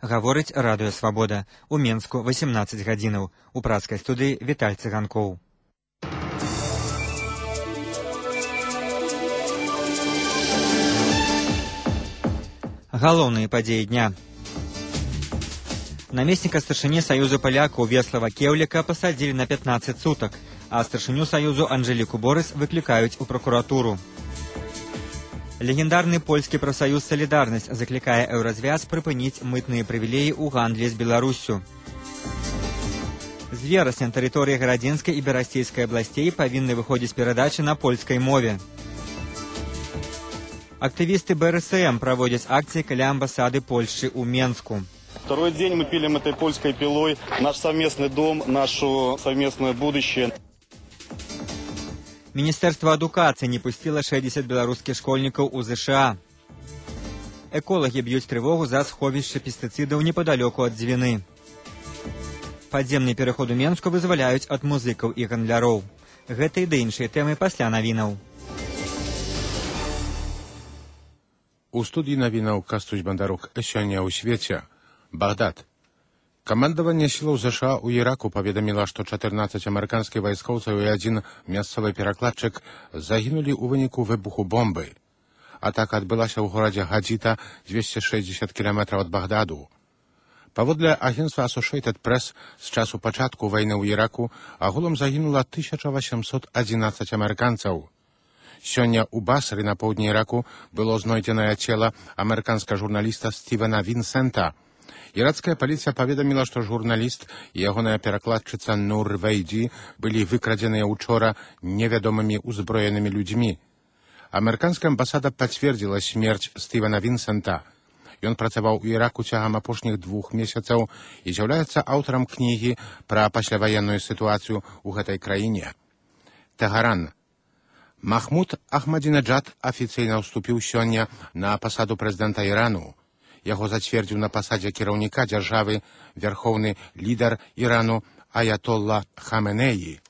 Гаворыць радыё Свабода. У Менску 18 гадзінаў. У працкай студыі Віталь Цыганкоў. Галоўныя падзеі дня. Намесніка старшыні Саюзу палякаў Веслава Кеўліка пасадзілі на 15 сутак, а старшыню Саюзу Анжэліку Борыс выклікаюць у пракуратуру. Легендарны польскі прафсаюз «Салідарнасць» заклікае Еўразвяз прыпыніць мытныя прывілеі ў гандлі з Беларуссю. З верасня на тэрыторыі Гарадзінскай і Берасцейскай абласцей павінны выходзіць перадачы на польскай мове. Актывісты БРСМ проводят акции каля амбассады Польши у Менску. Второй день мы пилим этой польской пилой наш совместный дом, наше совместное будущее. Министерство адукацыі не пустило 60 беларускіх школьнікаў у ЗША. Эколагі б'юць трывогу за сховішча пестыцыдаў непадалёку ад Дзвіны. Падземны пераход у Менску вызваляюць ад музыкаў і гандляроў. Гэта і да іншыя тэмы пасля навінаў. У студії навінаў Кастусь Бандарук. Сёння ў свеце. Багдад. Камандаванне сілаў ЗША ў Іраку паведаміла, што 14 амерыканскіх вайскоўцаў і адзін мясцовы перакладчык загінулі ў выніку выбуху бомбы. Атака адбылася ў горадзе Гадзіта, 260 кіламетраў ад Багдаду. Паводле агенцтва Associated Press, з часу пачатку вайны ў Іраку агулам загінула 1811 амерыканцаў. Сёння ў Басры на поўдні Іраку было знойдзенае цела амерыканскага журналіста Стівена Вінсента. Іракская паліцыя паведаміла, што журналіст і ягоная перакладчыца Нур Вейджі былі выкрадзеныя учора невядомымі ўзброенымі людзьмі. Амерыканская амбасада пацвердзіла смерць Стівена Вінсента. Ён працаваў у Іраку цягам апошніх 2 месяцаў і з'яўляецца аўтарам кнігі пра пасляваенную сітуацыю ў гэтай краіне. Тэгаран. Махмуд Ахмадзінеджад афіцыйна ўступіў сёння на пасаду прэзідэнта Ірану. Яго зацвердзіў на пасадзе кіраўніка дзяржавы вярхоўны лідар Ірану Аятолла Хаменеі.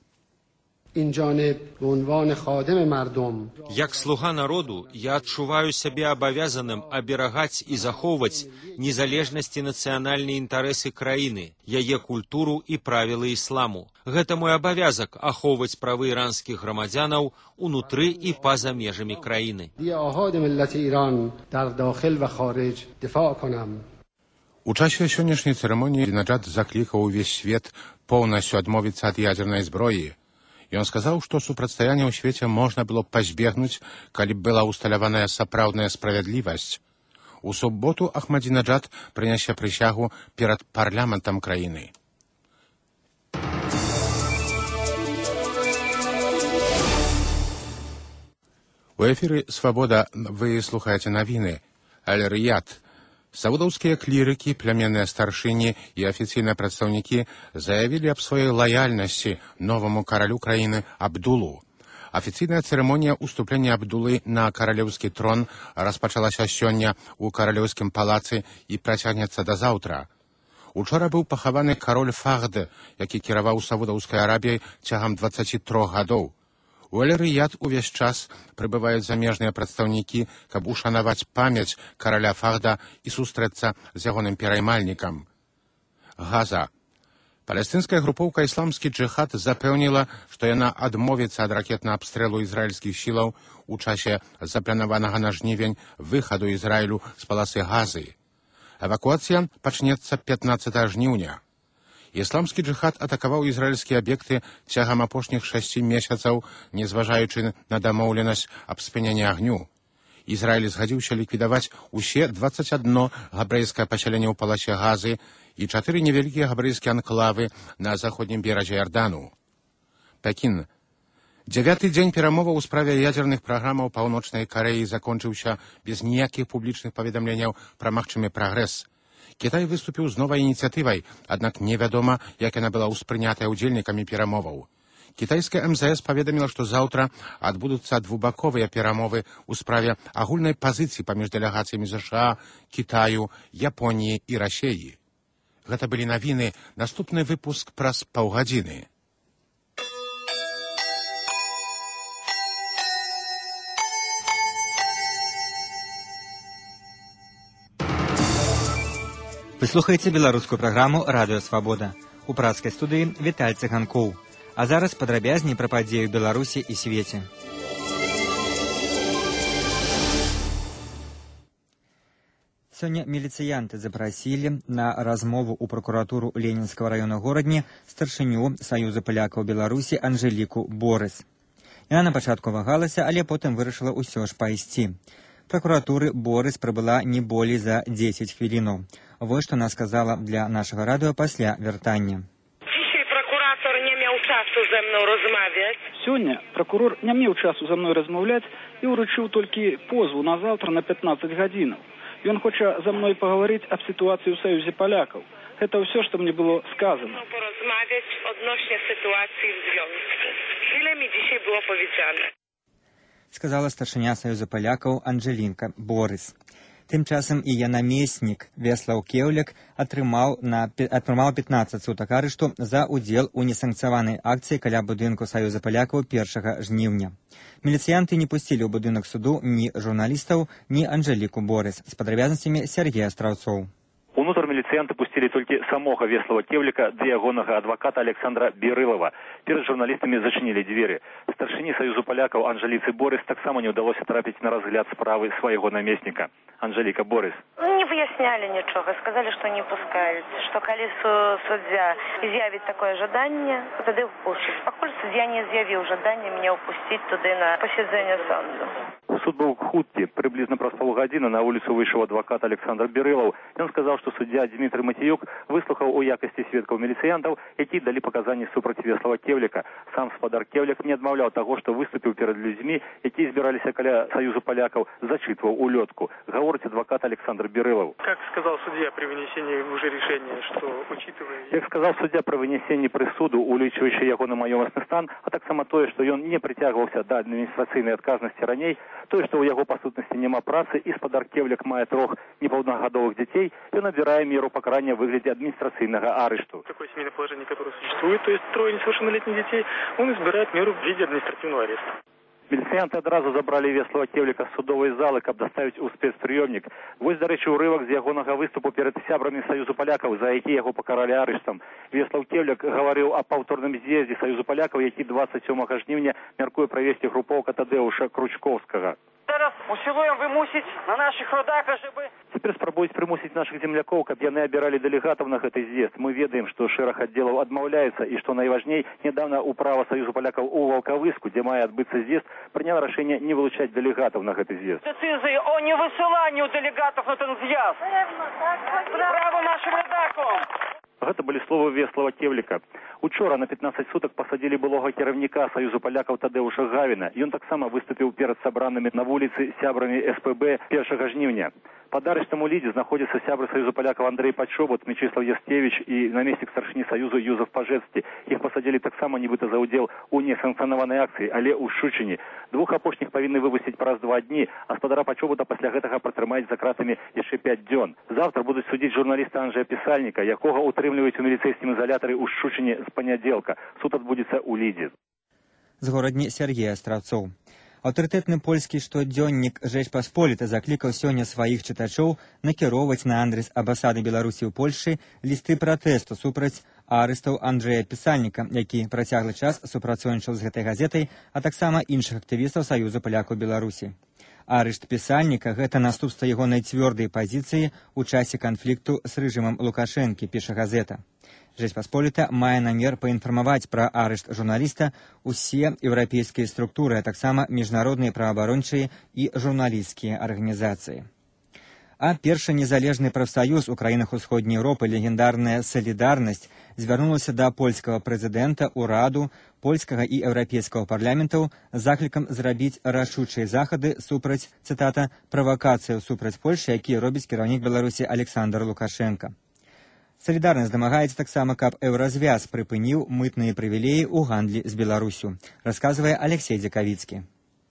Як слуга народу, я адчуваю сябе абавязаным аберагаць і захоўваць незалежнасць і нацыянальныя інтарэсы краіны, яе культуру і правілы ісламу. Гэта мой абавязак ахоўваць правы іранскіх грамадзянаў унутры і па-за межамі краіны. У часе сённяшняй цырымоніі Ахмадзінеджад заклікаў увесь свет поўнасцю адмовіцца ад ядзернай зброі. Ён сказаў, што супрацьстаянне ў свеце можна было пазбегнуць, калі б была ўсталяваная сапраўдная справядлівасць. У суботу Ахмадзінеджад прынясе прысягу перад парламентам краіны. У эфіры «Свабода» вы слухаеце навіны. Аль-Рыяд. Саудаўскія клірыкі, плямянныя старшыні і афіцыйныя прадстаўнікі заявілі аб сваёй лаяльнасці новаму каралю краіны Абдулу. Афіцыйная цырымонія ўступлення Абдулы на каралеўскі трон распачалася сёння ў каралеўскім палацы і працягнецца да заўтра. Учора быў пахаваны кароль Фахд, які кіраваў Саудаўскай Арабіяй цягам 23 гадоў. У Аль-Рыяд увесь час прыбываюць замежныя прадстаўнікі, каб ушанаваць памяць караля Фахда і сустрэцца з ягоным пераймальнікам. Газа. Палестынская групоўка «Ісламскі джыхад» запэўніла, што яна адмовіцца ад ракетнага абстрэлу ізраільскіх сілаў у часе запланаванага на жнівень выхаду Ізраілю з паласы Газы. Эвакуацыя пачнецца 15 жніўня. Ісламскі джыхад атакаваў ізраільскія аб'екты цягам апошніх 6 месяцаў, незважаючы на дамоўленасць аб спыненні агню. Ізраіль згадзіўся ліквідаваць усе 21 габрэйскае пасяленне ў паласе Газы і 4 невялікія габрэйскія анклавы на заходнім беразе Ярдану. Пекін. 9-й дзень перамоваў у справе ядзерных праграмаў Паўночнай Карэі закончыўся без ніякіх публічных паведамленняў пра магчымы прагрэс. Кітай выступіў з новай ініцыятывай, аднак невядома, як яна была ўспрынятая ўдзельнікамі перамоваў. Кітайская МЗС паведаміла, што заўтра адбудуцца двубаковыя перамовы ў справе агульнай пазіцыі паміж дэлегацыямі ЗША, Кітаю, Японіі і Расеі. Гэта былі навіны, наступны выпуск праз паўгадзіны. Вы слухаеце беларускую праграму «Радыё Свабода». У працкай студыі Віталь Цыганкоў. А зараз падрабязней пра падзеі ў Беларусі і свеце. Сёння міліцыянты запрасілі на размову ў пракуратуру Ленінскага района горадні старшыню Саюза палякаў Беларусі Анжэліку Борыс. Яна на пачатку вагалася, але потым вырашыла ўсё ж пайсці. Пракуратуры Борыс прыбыла не болей за 10 хвілінаў. Вось што она сказала для нашага радыё пасля вяртання. Сёння пракурор не меў часу за мной размаўляць і ўручыў толькі позву на заўтра на 15 гадзінаў. Ён хоча за мной паговорыць аб сітуацыі ў Саюзе палякаў. Гэта ўсё, што мне было сказано. Порозмавіць адносна сітуацыі ў звёнку. Ile mi dzisiaj było powiedziane? Сказала старшыня Саюза палякаў Анжэлінка Борыс. Тым часам яе намеснік Веслаў Кеўляк атрымаў 15 сутак арышту за ўдзел у несанкцыяванай акцыі каля будынку Саюза палякаў 1 жніўня. Міліцыянты не пусцілі ў будынак суду ні журналістаў, ні Анжэліку Борыс. З падрабязнасцямі Сергея Страўцоў. Унутр міліцыянты пусцілі толькі самога Веслава Кеўляка ды ягонага адваката Александра Бірылава. Перад журналістамі зачынілі дзверы. Старшыні Саюзу палякаў Анжэліцы Борыс таксама не ўдалося трапіць на разгляд справы свайго намесніка. Анжэліка Борыс. Не выяснялі нічога, сказалі, што не пускаюць, што калі суддзя з'явіць такое жаданне, тады впушчуць. Пакуль суддзя не з'явіў жаданне мяне ўпусціць туды на пасяджэнне суду. Суд быў хуткі. Прыблізна праз паўгадзіны на вуліцу выйшаў адвакат Александр Бірылаў. Ён сказаў, што суддзя Дмітрый Матіюк выслухаў у якасці сведкаў міліцыянтаў, якія далі паказанні супраць Веслава Кеўляка. Сам спадар Кеўляк не адмаўляў таго, што выступіў перад людзьмі, якія збіраліся каля Саюзу палякаў, зачытваў улётку. Гаворыць адвакат Александр Бірылаў. Как сказал судья при вынесении уже решения, что учитывая... Як сказаў суддя пры вынесенні прысуду, улічваючы ягоны маёмасны стан, а таксама тое, што ён не прыцягваўся да адміністрацыйнай адказнасці раней, тое, што ў яго па сутнасці няма працы і спадар Кеўляк мае 3 непаўнагадовых дзяцей, ён абірае меру пакарання ў выглядзе адміністрацыйнага арышту. Такое семейное положение, которое существует, то есть 3 несовершеннолетних детей, он избирает меру в виде административного ареста. Міліцыянты адразу забралі Веслава Кеўляка з судовай залы, каб даставіць у спецпрыёмнік. Вось, дарэчы, урывак з ягонага выступу перад сябрамі Саюзу палякаў, за які яго пакаралі арыштам. Веслаў Кеўляк гаварыў аб паўторным з'ездзе Саюзу палякаў, які 27 жніўня мяркуе правесці групоўка Тадеуша Кручковскага. Зараз усілуем вымусіць на наших родах, żeby... Цяпер спрабуюць прымусіць нашых землякоў, каб яны абіралі дэлегатаў на гэты з'езд. Мы ведаем, што шэраг аддзелаў адмаўляецца і, што найважней, нядаўна ўправа Саюзу палякаў у Валкавыску, дзе мае адбыцца з'езд, прыняла рашэнне не вылучаць дэлегатаў на гэты з'езд. Дэцызіі о невысыланні дэлегатаў на ten з'езд. Право нашим родакам. Гэта былі словы Веслава Кеўляка. Учора на 15 сутак пасадзілі былога кіраўніка Саюзу палякаў Тадеуша Гавіна. Ён таксама выступіў перад сабранымі на вуліцы сябрамі СПБ 1 жніўня. Пад арыштам у Лідзе знаходзяцца сябры Саюзу палякаў Андрэй Пачобут, Мечыслав Ястевіч і намеснік старшыні Саюзу Юзеф Пажэцкі. Іх пасадзілі таксама нібыта за ўдзел у несанкцыянаванай акцыі, але ў Шчучыне. 2 апошніх павінны выпусціць праз 2 дні, а спадара Пачобута пасля гэтага пратрымаць за кратамі яшчэ 5 дзён. Завтра будуць судзіць журналіста Анджэя Пісальніка, якога ўтрымліваюць у міліцэйскім ізалятары ў Шчучыне з панядзелка. Суд адбудзецца ў Лідзе. З горадні Сергея Страўцоў. Аўтарытэтны польскі штодзённік «Жэч Пасполіта» заклікаў сёння сваіх чытачоў накіроўваць на адрас амбасады Беларусі ў Польшы лісты пратэсту супраць арыстаў Анджэя Пісальніка, які працяглы час супрацоўнічаў з гэтай газетай, а таксама іншых актывістаў Саюзу палякаў Беларусі. Арышт Пісальніка – гэта наступства ягонай цвёрдай пазіцыі ў часе канфлікту з рэжымам Лукашэнкі, піша газета. Жэч Пасполіта мае намер паінфармаваць пра арышт журналіста ўсе еўрапейскія структуры, а таксама міжнародныя праваабарончыя і журналісцкія арганізацыі. А першы незалежны прафсаюз у краінах усходняй Еўропы, легендарная «Салідарнасць», звярнулася да польскага прэзідэнта, ураду, польскага і еўрапейскага парламентаў з заклікам зрабіць рашучыя захады супраць, цытата, «правакацыяў супраць Польшы, якія робіць кіраўнік Беларусі Александр Лукашенко». Салідарнасць дамагаецца таксама, каб еўразвяз прыпыніў мытныя прывілеі ў гандлі з Беларусю, расказвае Алексей Дзякавіцкі.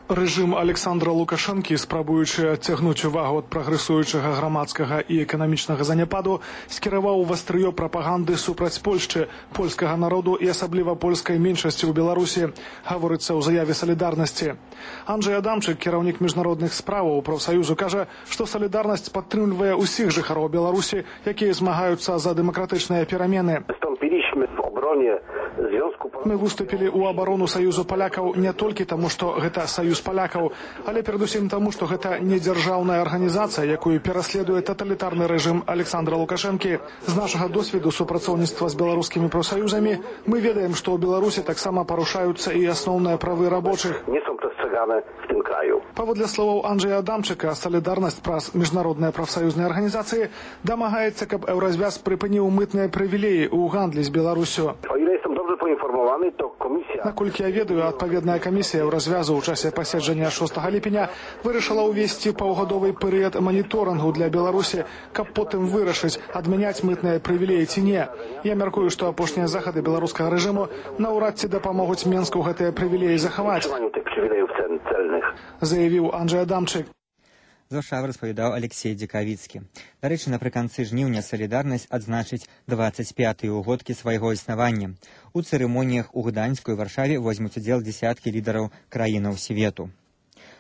Рэжым Александра Лукашэнкі, спрабуючы адцягнуць увагу ад прагрэсуючага грамадскага і эканамічнага заняпаду, скіраваў вастрыё прапаганды супраць Польшчы, польскага народу і асабліва польскай меншасці ў Беларусі, гаворыцца ў заяве салідарнасці. Анджэй Адамчык, кіраўнік міжнародных справаў прафсаюзу, кажа, што салідарнасць падтрымлівае ўсіх жыхароў Беларусі, якія змагаюцца за дэмакратычныя перамены. Мы выступілі ў абарону Саюзу палякаў не толькі таму, што гэта Саюз палякаў, але перадусім таму, што гэта не дзяржаўная арганізацыя, якую пераследуе таталітарны рэжым Александра Лукашэнкі. З нашага досведу супрацоўніцтва з беларускімі прафсаюзамі мы ведаем, што ў Беларусі таксама парушаюцца і асноўныя правы рабочых. Паводле словаў Анджэя Адамчыка, салідарнасць праз міжнародныя прафсаюзныя арганізацыі дамагаецца, каб Еўразвяз прыпыніў мытныя прывілеі ў гандлі з Беларусю. Наколькі я ведаю, адпаведная камісія Еўразвязу ў часе паседжання 6 ліпеня вырашыла ўвесці паўгадовы перыяд маніторынгу для Беларусі, каб потым вырашыць, адмяняць мытныя прывілеі ці не. Я мяркую, што апошнія захады беларускага рэжыму наўрад ці дапамогуць Менску гэтыя прывілеі захаваць, заявіў Анджэй Адамчык. З Варшавы распавядаў Алексей Дзекавіцкі. Дарэчы, напрыканцы жніўня салідарнасць адзначыць 25-й угодкі свайго існавання. У цырымоніях у Гданьску і Варшаве возьмуць удзел дзесяткі лідараў краінаў свету.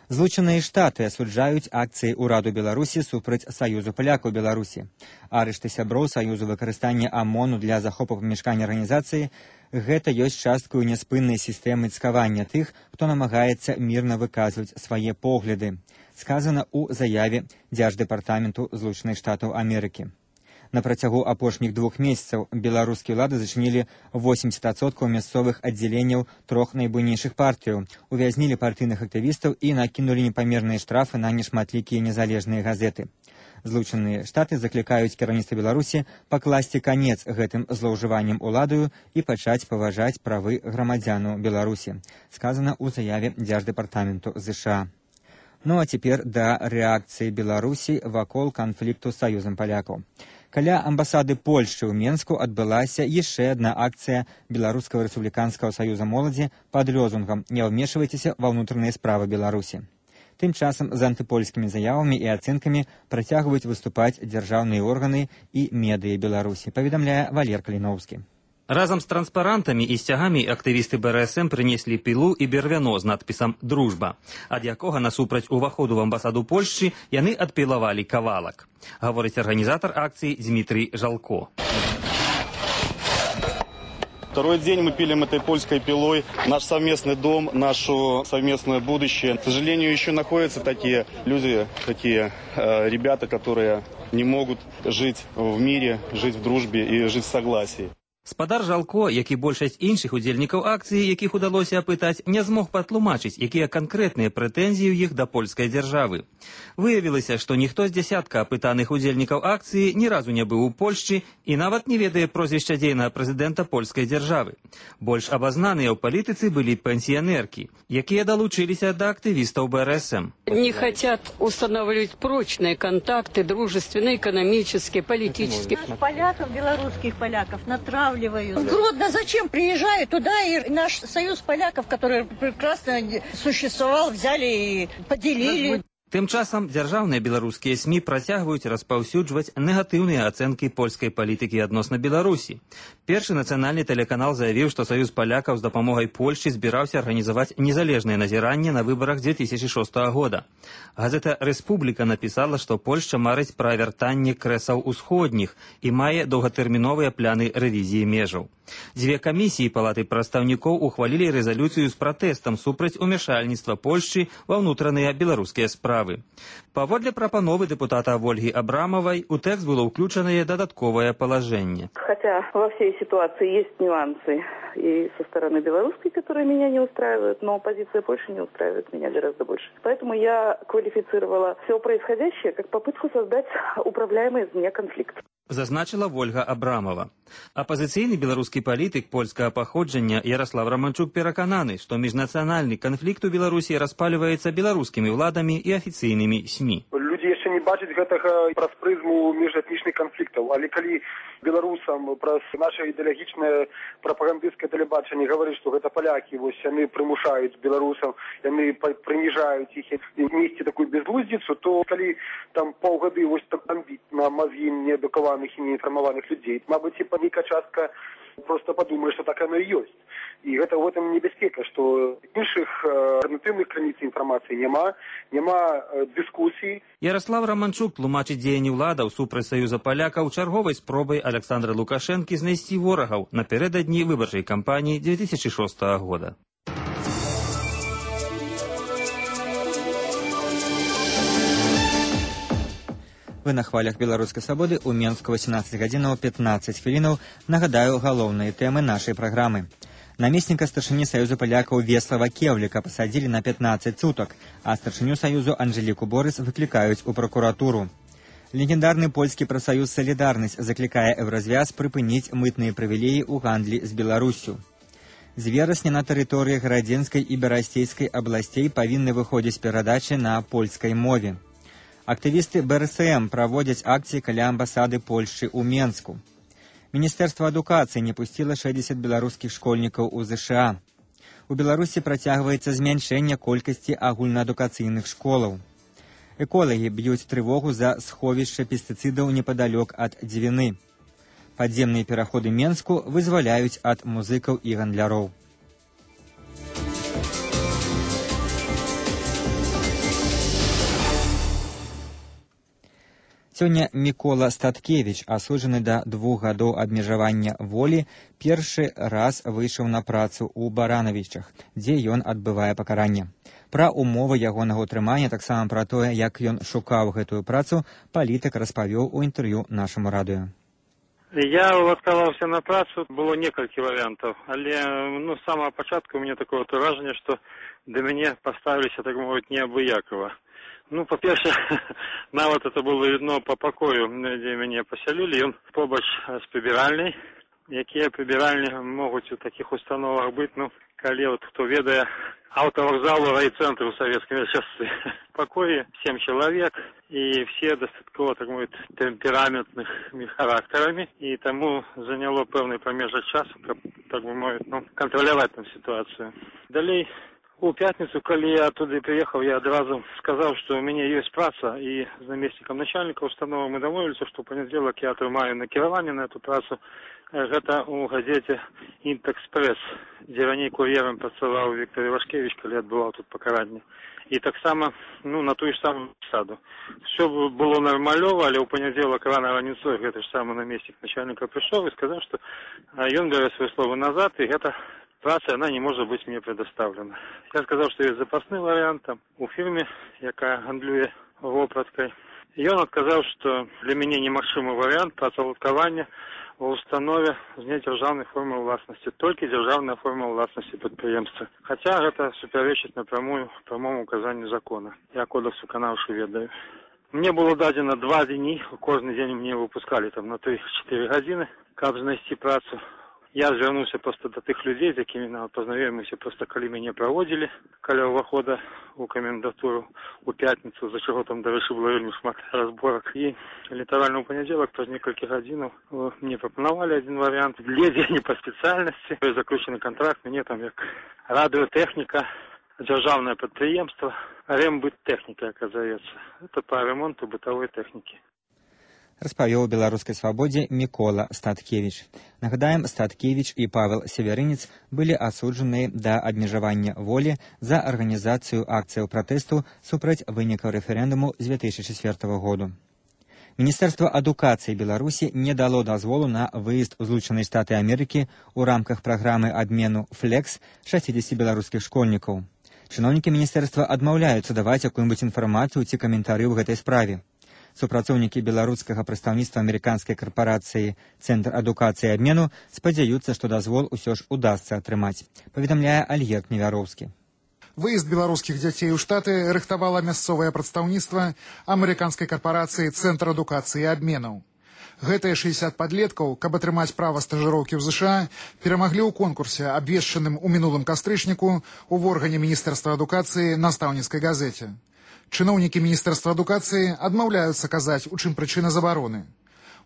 Злучаныя Штаты асуджаюць акцыі ўраду Беларусі супраць Саюзу палякаў Беларусі. Арышты сяброў Саюзу, выкарыстанне ОМОНу для захопу памяшкання арганізацыі – гэта ёсць часткаю няспыннай сістэмы цкавання тых, хто намагаецца мірна выказваць свае погляды. Сказана ў заяве Дзярждэпартаменту Злучаных Штатаў Амерыкі. На працягу апошніх 2 месяцаў беларускія ўлады зачынілі 80% мясцовых аддзяленняў 3 найбуйнейшых партыяў, увязнілі партыйных актывістаў і накінулі непамерныя штрафы на нешматлікія незалежныя газеты. Злучаныя Штаты заклікаюць кіраўніцтва Беларусі пакласці канец гэтым злоўжыванням уладаю і пачаць паважаць правы грамадзянаў Беларусі. Сказана ў заяве Дзярждэпартаменту ЗША. Ну а цяпер да рэакцыі Беларусі вакол канфлікту з Саюзам палякаў. Каля амбасады Польшчы ў Менску адбылася яшчэ адна акцыя Беларускага рэспубліканскага саюза моладзі пад лозунгам «Не ўмешвайцеся ва ўнутраныя справы Беларусі». Тым часам з антыпольскімі заявамі і ацэнкамі працягваюць выступаць дзяржаўныя органы і медыі Беларусі, паведамляе Валер Каліноўскі. Разам з транспарантамі і сцягамі актывісты БРСМ прынеслі пілу і бервяно з надпісам «Дружба», ад якога насупраць уваходу в амбасаду Польшчы яны адпілавалі кавалак. Гаворыць арганізатар акцыі Дмітрий Жалко. Второй день мы пилим этой польской пилой наш совместный дом, наше совместное будущее. К сожалению, еще находятся такие люди, такие ребята, которые не могут жить в мире, жить в дружбе и жить в согласии. Спадар Жалко, як і большасць іншых удзельнікаў акцыі, якіх удалося апытаць, не змог патлумачыць, якія канкрэтныя прэтэнзіі ў іх да польскай дзяржавы. Выявілася, што ніхто з дзясятка апытаных удзельнікаў акцыі ні разу не быў у Польшчы і нават не ведае прозвішча дзейнага прэзідэнта польскай дзяржавы. Больш абазнаныя ў палітыцы былі пенсіянеркі, якія далучыліся да актывістаў БРСМ. Не хотят устанавливать прочные контакты, дружественные, экономические, политические. Поляков, белорусских поляков натравливают. Гродно зачем? Приезжают туда, и наш союз поляков, который прекрасно существовал, взяли и поделили. Тым часам дзяржаўныя беларускія СМІ працягваюць распаўсюджваць негатыўныя ацэнкі польскай палітыкі адносна Беларусі. Першы нацыянальны тэлеканал заявіў, што Саюз палякаў з дапамогай Польшчы збіраўся арганізаваць незалежнае назіранне на выбарах 2006 года. Газета «Рэспубліка» напісала, што Польшча марыць пра вяртанне крэсаў усходніх і мае доўгатэрміновыя пляны рэвізіі межаў. 2 камісіі палаты прадстаўнікоў ухвалілі рэзалюцыю з пратэстам супраць умяшальніцтва Польшчы ва ўнутраныя беларускія справы. Паводле прапановы дэпутата Ольги Абрамовой, у тэкст было ўключанае дадатковае палажэнне. Хотя во всей ситуации есть нюансы и со стороны белорусской, которые меня не устраивают, но позиция Польши не устраивает меня гораздо больше. Поэтому я квалифицировала все происходящее как попытку создать управляемый извне конфликт. Зазначила Ольга Абрамова. Апозіцыйны беларускі палітык польскага паходжання Ярослав Романчук перакананы, што міжнацыянальны канфлікт у Беларусі распаліваецца беларускімі ўладамі і афіцыйнымі СМІ. Людзі яшчэ не бачаць гэтага праз прызму міжэтнічных канфліктаў, але калі беларусам праз наша ідэалагічнае прапагандысцкае тэлебачанне гаварыць, што гэта палякі, вось яны прымушаюць беларусаў, яны прыніжаюць іх і несці такую безглуздзіцу, то калі там паўгады вось так бомбіць на мазгі неадукаваных і неінфармаваных людзей, мабыць, і нейкая частка просто падумае, што так яно і ёсць. І гэта ў гэтым небяспека, што іншых альтэрнатыўных крыніц інфармацыі няма дыскусій. Ярослав Романчук тлумачыць дзеянні ўладаў супраць Саюза палякаў чарговай спробай Александра Лукашэнкі знайсці ворагаў напярэдадні выбарчай кампаніі 2006 года. Вы на хвалях беларускай свабоды ў Менску 18 гадзінаў 15 хвілінаў. Нагадаю галоўныя тэмы нашай праграмы. Намесніка старшыні Саюзу палякаў Веслава Кевліка пасадзілі на 15 сутак, а старшыню Саюзу Анжеліку Борыс выклікаюць у пракуратуру. Легендарны польскі прафсаюз «Салідарнасць» заклікае Еўразвяз прыпыніць мытныя прывілеі ў гандлі з Беларуссю. З верасня на тэрыторыі Гарадзенскай і Берасцейскай абласцей павінны выходзіць перадачы на польскай мове. Актывісты БРСМ праводзяць акцыі каля амбасады Польшчы ў Менску. Міністэрства адукацыі не пусціла 60 беларускіх школьнікаў у ЗША. У Беларусі працягваецца змяншэнне колькасці агульнаадукацыйных школаў. Эколагі б'юць трывогу за сховішча пестыцыдаў непадалёк ад Двіны. Падземныя пераходы Менску вызваляюць ад музыкаў і гандляроў. Сёння Мікола Статкевіч, асуджаны да 2 гадоў абмежавання волі, першы раз выйшаў на працу ў Баранавічах, дзе ён адбывае пакаранне. Пра умовы ягонага ўтрымання, таксама пра тое, як ён шукаў гэтую працу, палітык распавёў у інтэрв'ю нашаму радыё. Я адказаўся на працу, было некалькі варыянтаў, але з самага пачатку у мяне такое ўражанне, што да мяне паставіліся, так мовіць, неабыякава. По-перше, нават это было видно по покою, где меня поселили. Он побач с прибиральной. Якія прибиральні могут у таких установах быть, коли кто ведает автовокзалу райцентру в советские часы. В покое 7 человек, и все достаточно, так мовить, темпераментными характерами, и тому заняло певний промежок часу, так бы мовить, контролировать там ситуацию. Далее, у пятницу, когда я оттуда приехал, я одразу сказал, что у меня есть праца, и с наместником начальника установы мы домовились, что в понедельник я отрымаю накирование на эту працу. Это у газете «Интэкспресс», где ранее курьером працавал Виктор Ивашкевич, когда я отбывал тут покарание. И так само, на ту же самую саду. Все было нормалево, але у понедельник рано ранецой этот же самый наместник начальника пришел и сказал, что он берет свое слово назад, и это праца, она не может быть мне предоставлена. Я сказал, что есть запасный вариант там, у фирмы, яка гандлює вопраткой. И он отказал, что для меня немагчымы вариант працаўладкавання в установе з недзяржаўнай формы власности, только державная форма власности предприемства. Хотя это суперечит напрямую прямому указанию закона. Я кодекс выканаўшы ведаю. Мне было дадено 2 дні, кожны день мне выпускали там на 3-4 гадзіны, каб знайсці працу. Я звернуўся просто до тых людей, з якімі познаёміліся, просто калі мяне праводзілі каля ўвахода у камендатуру у пятніцу, за чаго там, дарэчы, было вельмі шмат разборак. І літаральна ў панядзелак праз некалькі гадзінаў мне прапанавалі адзін варыянт. Ледзьве не па спецыяльнасці. Заключены контракт, мяне там як радыётэхніка, дзяржаўнае прадпрыемства, рембыттэхніка, як зовецца. Это па ремонту бытавой тэхнікі. Распавёў беларускай свабодзе Мікола Статкевіч. Нагадаем, Статкевіч і Павел Северынец былі асуджаныя да абмежавання волі за арганізацыю акцыяў пратэсту супраць вынікаў рэферэндуму з 2004 году. Міністэрства адукацыі Беларусі не дало дазволу на выезд у Злучаныя Штаты Амерыкі ў рамках праграмы абмену «Флекс» 60 беларускіх школьнікаў. Чыноўнікі міністэрства адмаўляюцца даваць якую-небудзь інфармацыю ці каментары ў гэтай справе. Супрацоўнікі беларускага прадстаўніцтва амерыканскай карпорацыі «Цэнтр адукацыі і абмену» спадзяюцца, што дазвол усё ж удасца атрымаць, паведамляе Альгерд Невяроўскі. Выезд беларускіх дзяцей у Штаты рыхтавала мясцовае прадстаўніцтва амерыканскай карпорацыі «Цэнтр адукацыі і абмену». Гэтыя 60 падлеткаў, каб атрымаць права стажыроўкі ў ЗША, перамаглі ў конкурсе, абвешчаным у мінулым кастрычніку ў органе Міністэрства адукацыі настаўніцкай газеце. Чыноўнікі Міністэрства адукацыі адмаўляюцца казаць, у чым прычына забароны.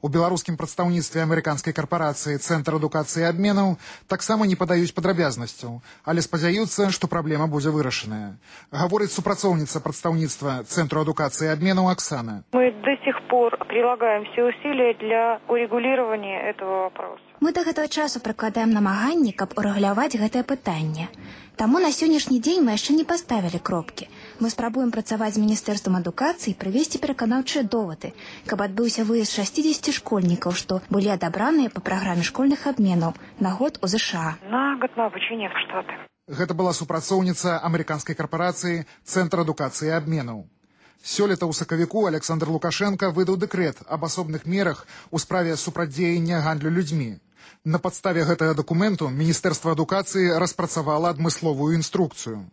У беларускім прадстаўніцтве амерыканскай карпарацыі Цэнтр адукацыі і абменаў таксама не падаюць падрабязнасцяў, але спадзяюцца, што праблема будзе вырашаная. Гаворыць супрацоўніца прадстаўніцтва Цэнтру адукацыі и обмена Оксана. Мы до сих пор прилагаем все усилия для урегулирования этого вопроса. Мы до гэтага часу прыкладаем намаганні, каб урэгуляваць гэтае пытанне. Таму на сённяшні дзень мы яшчэ не паставілі кропкі. Мы спрабуем працаваць з Міністэрствам адукацыі і прывесці пераканаўчыя довады, каб адбыўся выезд 60 школьнікаў, што былі адабраныя па праграме школьных абменаў на год у ЗША. На год на обучение в Штаты. Гэта была супрацоўніца амерыканскай карпорацыі Цэнтр адукацыі і абменаў. Сёлета ў сакавіку Александр Лукашенко выдаў дэкрэт аб асобных мерах у справе супрацьдзеяння гандлю людзьмі. На падставе гэтага дакументу Міністэрства адукацыі распрацавала адмысловую інструкцыю.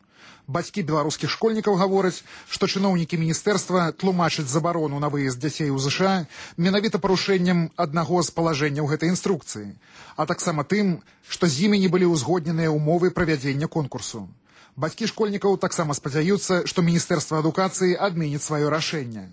Бацькі беларускіх школьнікаў гавораць, што чыноўнікі міністэрства тлумачаць забарону на выезд дзяцей у ЗША менавіта парушэннем аднаго з палажэнняў гэтай інструкцыі, а таксама тым, што з імі не былі ўзгодненыя ўмовы правядзення конкурсу. Бацькі школьнікаў таксама спадзяюцца, што Міністэрства адукацыі адменіць сваё рашэнне.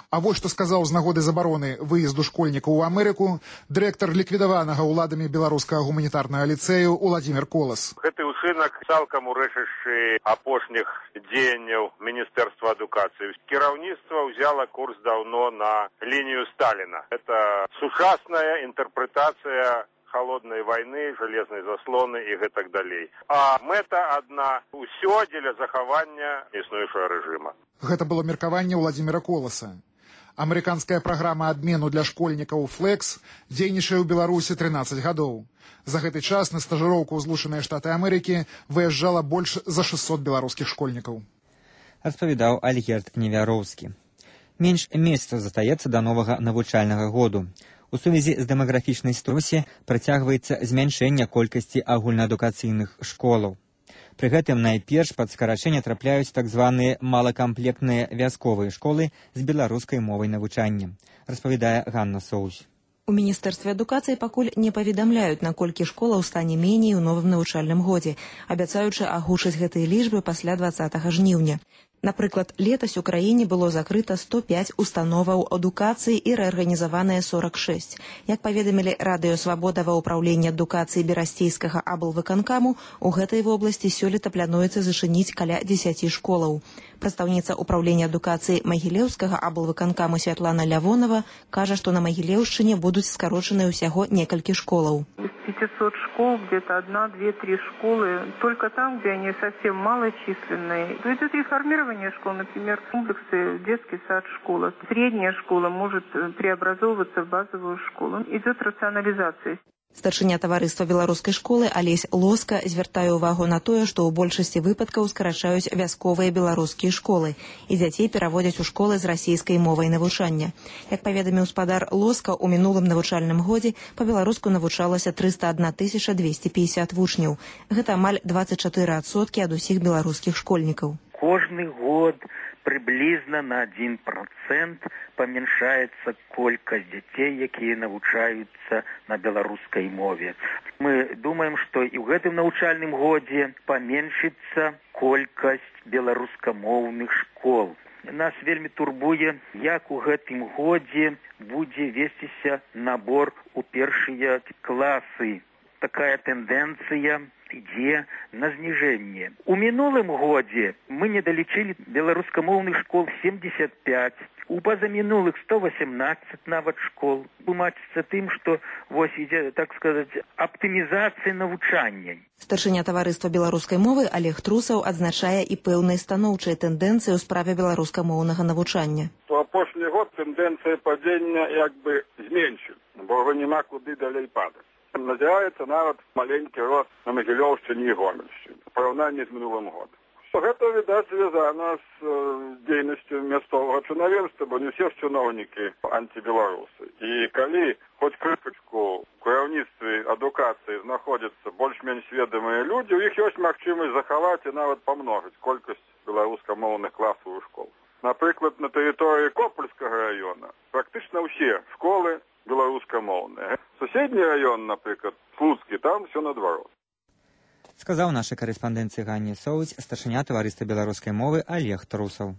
А вось што сказаў з нагоды забароны выезду школьнікаў у Амерыку дырэктар ліквідаванага ўладамі беларускага гуманітарнага ліцэю Уладзімір Колас. Гэты ўчынак цалкам урэшыўшы апошніх дзеянняў Міністэрства адукацыі. Кіраўніцтва ўзяла курс даўно на лінію Сталіна. Это сучасная інтэрпрэтацыя холодной войны, железной заслоны и гэтак далей. А мэта одна – усё дзеля захавання існуючага рэжыма. Гэта было меркаванне Уладзіміра Коласа. Амерыканская праграма абмену для школьнікаў «Флекс» дзейнічае ў Беларусі 13 гадоў. За гэты час на стажыроўку ў Злучаныя Штаты Амерыкі выязджала больш за 600 беларускіх школьнікаў. Распавядаў Альгерд Невяроўскі. Менш месяцаў застаецца да новага навучальнага году. У сувязі з дэмаграфічнай ситуацыяй працягваецца змяншэнне колькасці агульнаадукацыйных школаў. Пры гэтым найперш пад скарачэнне трапляюць так званыя малакамплектныя вясковыя школы з беларускай мовай навучання, распавядае Ганна Соусь. У Міністэрстве адукацыі пакуль не паведамляюць, наколькі школаў стане меней у новым навучальным годзе, абяцаючы агучыць гэтыя лічбы пасля 20 жніўня. Напрыклад, летась у краіне было закрыта 105 установаў адукацыі і рэарганізаваныя 46. Як паведамілі Радыё Свабода ва ўпраўленні адукацыі Берасцейскага аблвыканкаму, у гэтай вобласці сёлета плануецца зачыніць каля 10 школаў. Прадстаўніца ўпраўлення адукацыі Магілеўскага аблвыканкаму Святлана Лявонова кажа, што на Магілеўшчыне будуць скарочаныя ўсяго некалькі школаў. 500 школ, где-то 1, 2, 3 школы, только там, где они совсем малочисленные. Идет реформирование школ, например, комплексы, детский сад, школа. Средняя школа может преобразовываться в базовую школу. Идет рационализация. Старшыня таварыства беларускай школы Алесь Лоска звяртае ўвагу на тое, што ў большасці выпадкаў скарачаюць вясковыя беларускія школы і дзяцей пераводзяць у школы з расійскай мовай навучання. Як паведаміў спадар Лоска, у мінулым навучальным годзе па-беларуску навучалася 301 250 вучняў. Гэта амаль 24% ад усіх беларускіх школьнікаў. Кожны год приблизно на 1% памяншаецца колькасць дзяцей, якія навучаюцца на беларускай мове. Мы думаем, што і ў гэтым навучальным годзе паменшыцца колькасць беларускамоўных школ. Нас вельмі турбуе, як у гэтым годзе будзе весціся набор у першыя класы. Такая тэндэнцыя ідзе на зніжэнне. У мінулым годзе мы недалічылі беларускамоўных школ 75, у пазамінулых 118 нават школ. Тлумачыцца тым, што вось ідзе, так сказаць, аптымізацыя навучання. Старшыня таварыства беларускай мовы Олег Трусаў адзначае і пэўныя станоўчыя тэндэнцыі ў справе беларускамоўнага навучання. У апошні год тэндэнцыя падзення як бы зменшыць, бо няма куды далей падаць. Назіраецца нават маленькі рост на Магілёўшчыне і Гомельшчыне в параўнанні з мінулым годам. Гэта, відаць, звязана з дзейнасцю мясцовага чынавенства, бо не ўсе чыноўнікі антыбеларусы. І калі хоць крышачку у кіраўніцтве адукацыі знаходзяцца больш-менш сведамыя людзі, у іх ёсць магчымасць захаваць і нават памножыць колькасць беларускамоўных класаў у школ. Напрыклад, на тэрыторыі Копальскага раёна практычна ўсе школы беларускамоўныя. Суседні раён, напрыклад, Слуцкі, там все наадварот. Сказаў нашай карэспандэнцыі Ганне Соуць старшыня таварыства беларускай мовы Олег Трусаў.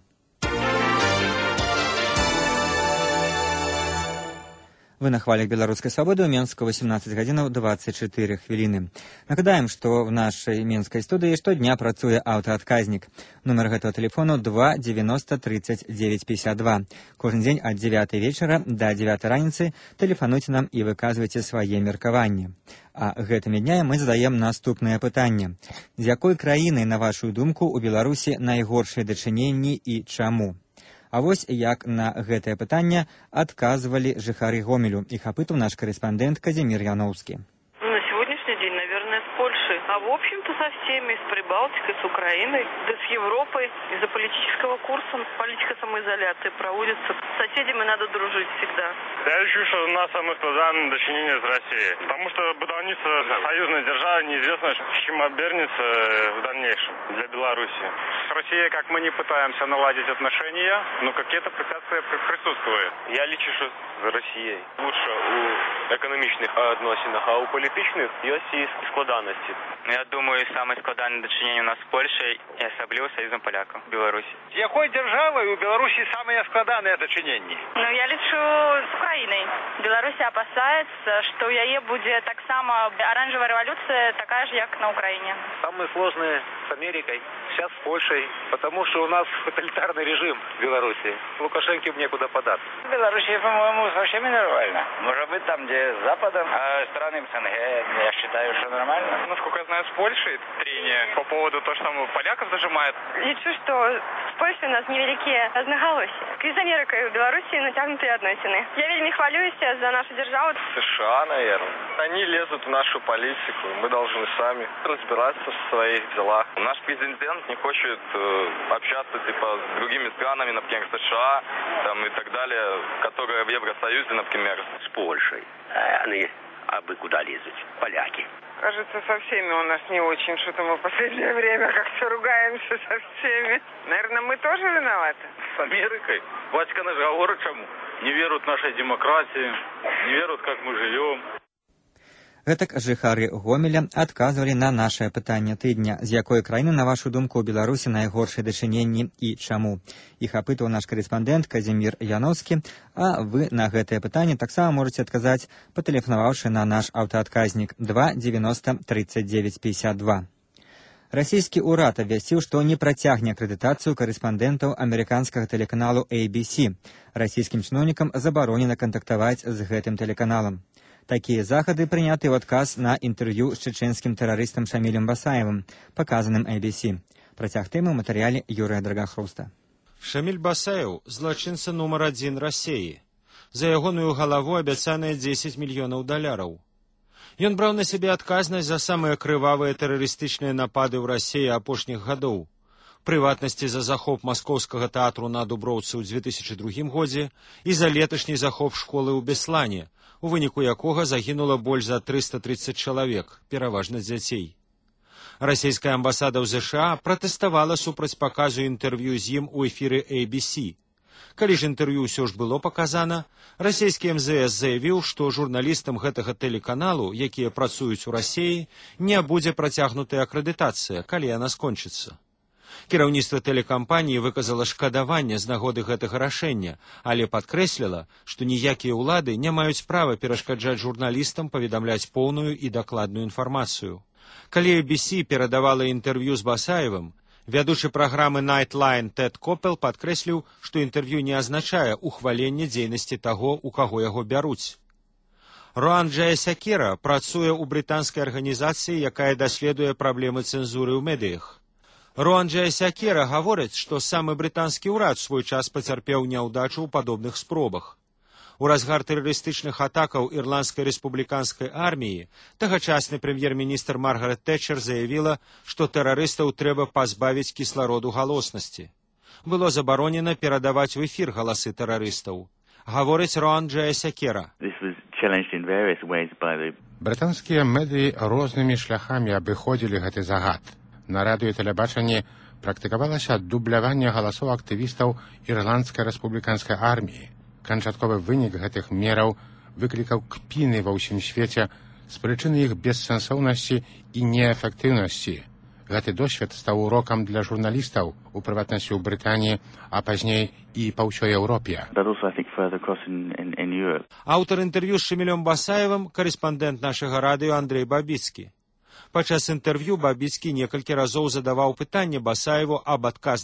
Вы на хвалях беларускай свабоды ў Менску 18 гадзінаў 24 хвіліны. Нагадаем, што в нашай менскай студыі штодня працуе аўтаадказнік. Нумар гэтага тэлефону 2 90 39 52. Кожны дзень ад 9 вечара да 9 раніцы тэлефануйце нам і выказвайце свае меркаванні. А гэтымі днямі мы задаем наступнае пытанне. З якой краінай, на вашу думку, у Беларусі найгоршыя дачыненні і чаму? А вось як на гэтае пытанне адказвалі жыхары Гомелю. Іх апытаў наш карэспандэнт Казимир Яновский. На сегодняшний день, наверное, с Польшей. А в общем-то со всеми, с Прибалтикой, с Украиной, да с Европой. Из-за политического курса политика самоизоляции проводится. С соседями надо дружить всегда. Я решил, что у нас самое складное дочинение с Россией. Потому что будовництво союзной державы неизвестно, с чем обернется в дальнейшем для Беларуси. С Россией, как мы не пытаемся наладить отношения, но какие-то препятствия присутствуют. Я лечу, что с Россией лучше у экономичных отношениях, а у политичных есть складанности. Я думаю, самое складанное дочинение у нас с Польшей и особливо союзом поляков в Беларуси. С какой державой у Беларуси самое складанное дочинение? Ну, я лечу с Украиной. Беларусь опасается, что у яе будет так само оранжевая революция, такая же, как на Украине. Самое сложное с Америкой, сейчас с Польшей, потому что у нас тоталитарный режим в Беларуси. Лукашенко некуда податься. В Беларуси, по-моему, совсем нормально. Может быть, там, где с Западом, а странам СНГ, я считаю, что нормально. Насколько я знаю, с Польшей трение по поводу того, что там поляков зажимает. Лечу, что с Польшей у нас невеликие разноголосия. С Америкой в Беларуси натянутые относины. Я вельми хвалюсь за нашу державу. США, наверное. Они лезут в нашу политику. Мы должны сами разбираться в своих делах. Наш президент не хочет общаться типа с другими странами, например, США там, и так далее, которые в Евросоюзе, например. С Польшей. Они абы куда лезут. Поляки. Кажется, со всеми у нас не очень. Что-то мы в последнее время как-то ругаемся со всеми. Наверное, мы тоже виноваты. С Америкой? Ватикан же говорит, чему? Не веруют в нашей демократии, не веруют, как мы живем. Гэтак жыхары Гомеля адказвалі на нашае пытанне тыдня. З якой краіны, на вашу думку, у Беларусі найгоршыя дачыненні і чаму? Іх апытаў наш карэспандэнт Казимир Яновский, а вы на гэтае пытанне таксама можаце адказаць, патэлефанаваўшы на наш аўтаадказнік 2 90 39 52. Расійскі ўрад абвясціў, што не працягне акрэдытацыю карэспандэнтаў амерыканскага тэлеканалу ABC. Расійскім чыноўнікам забаронена кантактаваць з гэтым тэлеканалам. Такія захады прыняты ў адказ на інтэрв'ю з чэчэнскім тэрарыстам Шамілем Басаевым, паказаным ABC. Працяг тэмы ў матэрыяле Юрыя Драгахруста. Шаміль Басаев – злачынца нумар 1 Расіі. За ягоную галаву абяцаныя $10 мільёнаў. Ён браў на сябе адказнасць за самыя крывавыя тэрарыстычныя напады ў Расіі апошніх гадоў. Прыватнасці за захоп маскоўскага тэатру на Дуброўцы ў 2002 годзе і за леташні захоп школы ў Беслане, у выніку якога загінула больш за 330 чалавек, пераважна дзяцей. Расійская амбасада ў ЗША пратэставала супраць паказу інтэрв'ю з ім у эфіры ABC. Калі ж інтэрв'ю ўсё ж было паказана, расійскі МЗС заявіў, што журналістам гэтага тэлеканалу, якія працуюць у Расіі, не будзе працягнутая акрэдытацыя, калі яна скончыцца. Кіраўніцтва тэлекампаніі выказала шкадаванне з нагоды гэтага рашэння, але падкрэсліла, што ніякія ўлады не маюць права перашкаджаць журналістам паведамляць поўную і дакладную інфармацыю. Калі ABC перадавала інтэрв'ю з Басаевым, вядучы праграмы Nightline Тед Копел падкрэсліў, што інтэрв'ю не азначае ухваленне дзейнасці таго, у каго яго бяруць. Роан Джаясякера працуе ў брытанскай арганізацыі, якая даследуе праблемы цэнзуры ў медыях. Роан Джаясякера гаворыць, што самы брытанскі ўрад свой час пацярпеў няўдачу ў падобных спробах. У разгар тэрарыстычных атакаў ірландскай рэспубліканскай арміі тагачасны прэм'ер-міністр Маргарет Тэтчер заявіла, што тэрарыстаў трэба пазбавіць кіслароду галоснасці. Было забаронена перадаваць у эфір галасы тэрарыстаў. Гаворыць Роан Джаясякера. Брытанскія медыі рознымі шляхамі абыходзілі гэты загад. На радыё і тэлебачанні практыкавалася дубляванне галасоў актывістаў ірландскай рэспубліканскай арміі. Канчатковы вынік гэтых мераў выклікаў кпіны ва ўсім свеце з прычыны іх бессэнсоўнасці і неэфектыўнасці. Гэты досвед стаў урокам для журналістаў, у прыватнасці ў Брытаніі, а пазней і па ўсёй Еўропе. Аўтар інтэрв'ю з Шамілём Басаевым, корэспандэнт нашага радыё Андрэй Бабіцкі. Падчас інтэрв'ю Бабіцкі некалькі разоў задаваў пытанне Басаеву аб адказнасці